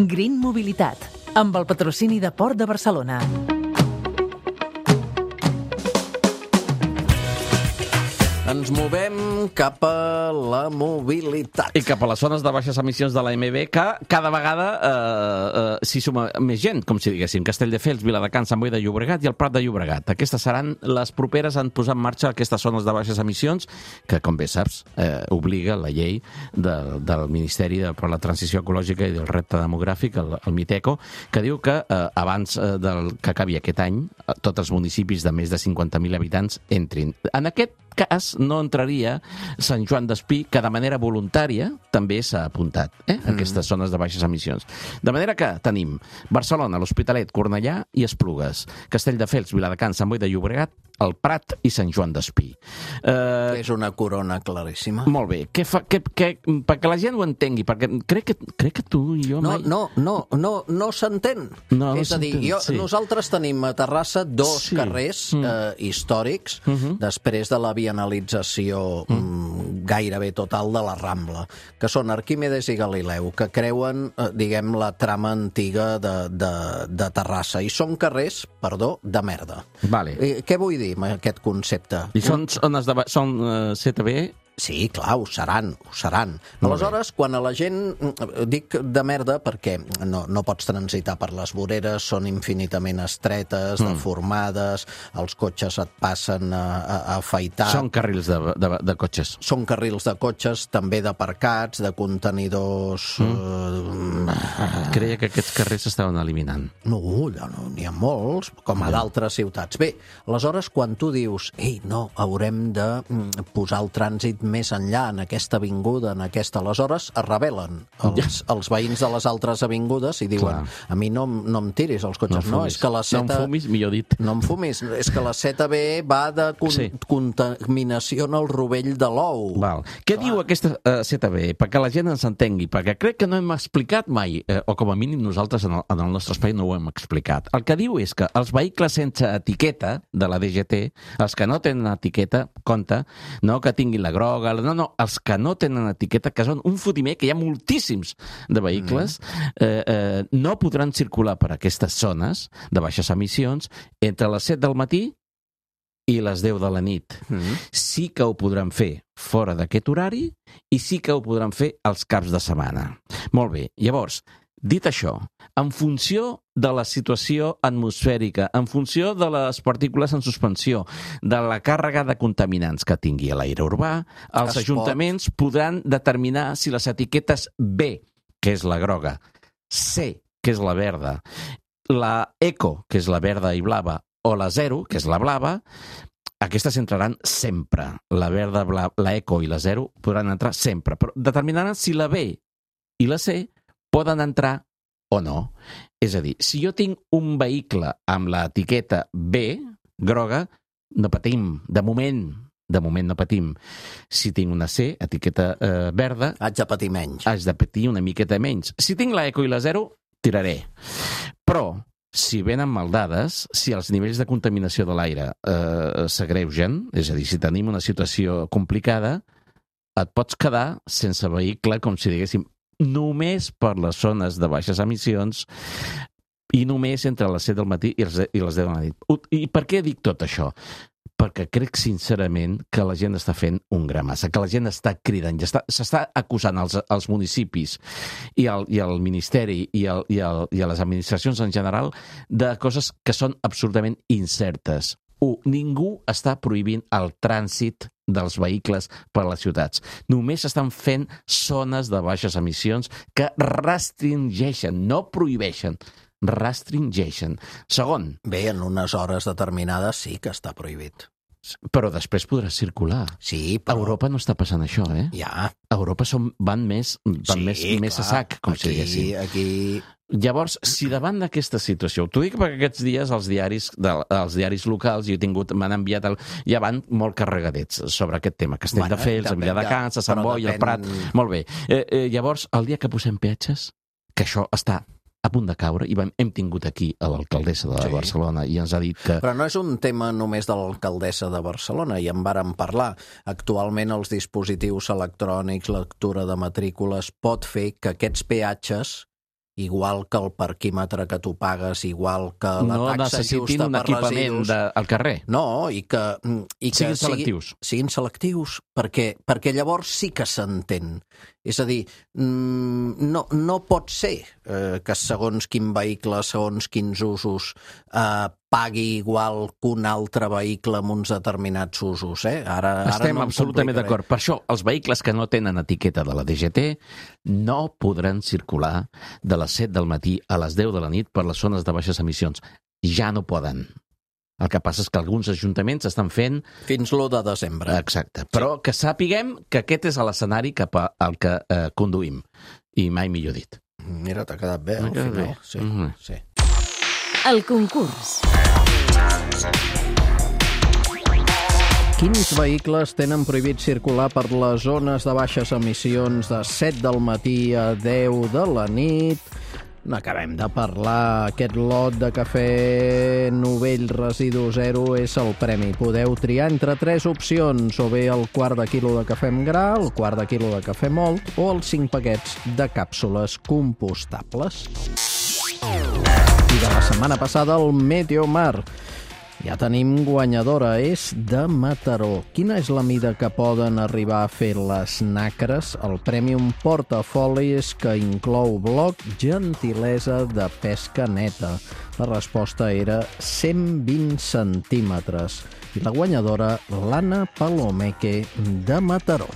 Green Mobilitat, amb el patrocini de Port de Barcelona. Ens movem cap a la mobilitat. I cap a les zones de baixes emissions de l'AMB, que cada vegada s'hi suma més gent, com si diguéssim. Castelldefels, Viladecans, Sant Boi de Llobregat i el Prat de Llobregat. Aquestes seran les properes en posar en marxa aquestes zones de baixes emissions, que, com bé saps, obliga la llei del Ministeri per la Transició Ecològica i del Repte Demogràfic, el MITECO, que diu que abans que acabi aquest any, tots els municipis de més de 50.000 habitants entrin. En aquest cas no entraria Sant Joan d'Espí, que de manera voluntària també s'ha apuntat a aquestes zones de baixes emissions. De manera que tenim Barcelona, l'Hospitalet, Cornellà i Esplugues, Castelldefels, Viladecans, Sant Boi de Llobregat, el Prat i Sant Joan d'Espí. És una corona claríssima. Molt bé. Perquè la gent ho entengui, perquè crec que tu i jo mai... No s'entén. És a dir, nosaltres tenim a Terrassa dos carrers històrics després de la vianalització gairebé total de la Rambla, que són Arquímedes i Galileu, que creuen, diguem, la trama antiga de Terrassa. I són carrers, de merda. Vale. Què vull dir amb aquest concepte? I són ZTB? Sí, clar, ho seran. Aleshores, quan a la gent... Dic de merda perquè no pots transitar per les voreres, són infinitament estretes, deformades, els cotxes et passen a afaitar... Són carrils de cotxes. Són carrils de cotxes, també d'aparcats, de contenidors... Creia que aquests carrers s'estaven eliminant. No, n'hi ha molts, com a d'altres ciutats. Bé, aleshores, quan tu dius haurem de posar el trànsit més enllà, en aquesta avinguda, aleshores es rebel·len els veïns de les altres avingudes i diuen, a mi no em tiris els cotxes, és que la seta... No em fumis, millor dit. No em fumis, és que la ZB va de contaminació en el rovell de l'ou. Què diu aquesta ZB? Perquè la gent ens entengui, perquè crec que no hem explicat mai, o com a mínim nosaltres en el nostre espai no ho hem explicat. El que diu és que els vehicles sense etiqueta de la DGT, els que no tenen etiqueta, compte, no que tinguin la groga, els que no tenen etiqueta, que són un fotimer, que hi ha moltíssims de vehicles, no podran circular per aquestes zones de baixes emissions entre les 7 del matí i les 10 de la nit. Sí que ho podran fer fora d'aquest horari i sí que ho podran fer els caps de setmana. Molt bé, llavors, dit això, en funció de la situació atmosfèrica, en funció de les partícules en suspensió, de la càrrega de contaminants que tingui l'aire urbà, els ajuntaments podran determinar si les etiquetes B, que és la groga, C, que és la verda, la Eco, que és la verda i blava, o la Zero, que és la blava, aquestes entraran sempre. La verda, la Eco i la Zero podran entrar sempre, però determinaran si la B i la C poden entrar o no. És a dir, si jo tinc un vehicle amb l'etiqueta B, groga, no patim. De moment no patim. Si tinc una C, etiqueta verda... Haig de patir menys. Haig de patir una miqueta menys. Si tinc la Eco i la Zero, tiraré. Però, si venen mal dades, si els nivells de contaminació de l'aire s'agreugen, és a dir, si tenim una situació complicada, et pots quedar sense vehicle, com si diguéssim, només per les zones de baixes emissions i només entre les 7 del matí i les 10 de la nit. I per què dic tot això? Perquè crec sincerament que la gent està fent un gra massa, que la gent està cridant, s'està acusant els municipis i el Ministeri i a les administracions en general de coses que són absolutament incertes. Ningú està prohibint el trànsit dels vehicles per a les ciutats. Només estan fent zones de baixes emissions que restringeixen, no prohibeixen, restringeixen. Segon. Bé, en unes hores determinades sí que està prohibit. Però després podrà circular. Sí, però... A Europa no està passant això, Ja. A Europa van més a sac, com si diguéssim. Aquí... Llavors, si davant d'aquesta situació, t'ho dic perquè aquests dies els diaris locals, m'han enviat, ja van molt carregadets sobre aquest tema. Castelldefels, Viladecans, a Sant Boi, el Prat... Molt bé. Llavors, el dia que posem peatges, que això està a punt de caure, i hem tingut aquí a l'alcaldessa de Barcelona i ens ha dit que... Però no és un tema només de l'alcaldessa de Barcelona, i en vàrem parlar. Actualment els dispositius electrònics, lectura de matrícules, pot fer que aquests peatges igual que el parquímetre que tu pagues, igual que la taxa justa per residus... No necessitin un equipament al carrer. No, i que siguin selectius. Siguin selectius, perquè llavors sí que s'entén. És a dir, no pot ser que segons quin vehicle, segons quins usos, pagui igual que un altre vehicle amb uns determinats usos. Estem absolutament d'acord. Per això, els vehicles que no tenen etiqueta de la DGT no podran circular de les 7 del matí a les 10 de la nit per les zones de baixes emissions. Ja no poden. El que passa és que alguns ajuntaments estan fent... Fins l'1 de desembre. Exacte. Però que sàpiguem que aquest és l'escenari cap al que conduïm. I mai millor dit. Mira, t'ha quedat bé, al final. Sí. El concurs. Quins vehicles tenen prohibit circular per les zones de baixes emissions de 7 del matí a 10 de la nit? N'acabem de parlar. Aquest lot de cafè Novell Residu Zero és el premi. Podeu triar entre 3 opcions, o bé el quart de quilo de cafè amb gra, el quart de quilo de cafè mòlt o els 5 paquets de càpsules compostables. I de la setmana passada, el Meteomar. Ja tenim guanyadora, és de Mataró. Quina és la mida que poden arribar a fer les nacres? El Premium Portafolis, que inclou bloc gentilesa de pesca neta. La resposta era 120 centímetres. I la guanyadora, l'Anna Palomeque, de Mataró.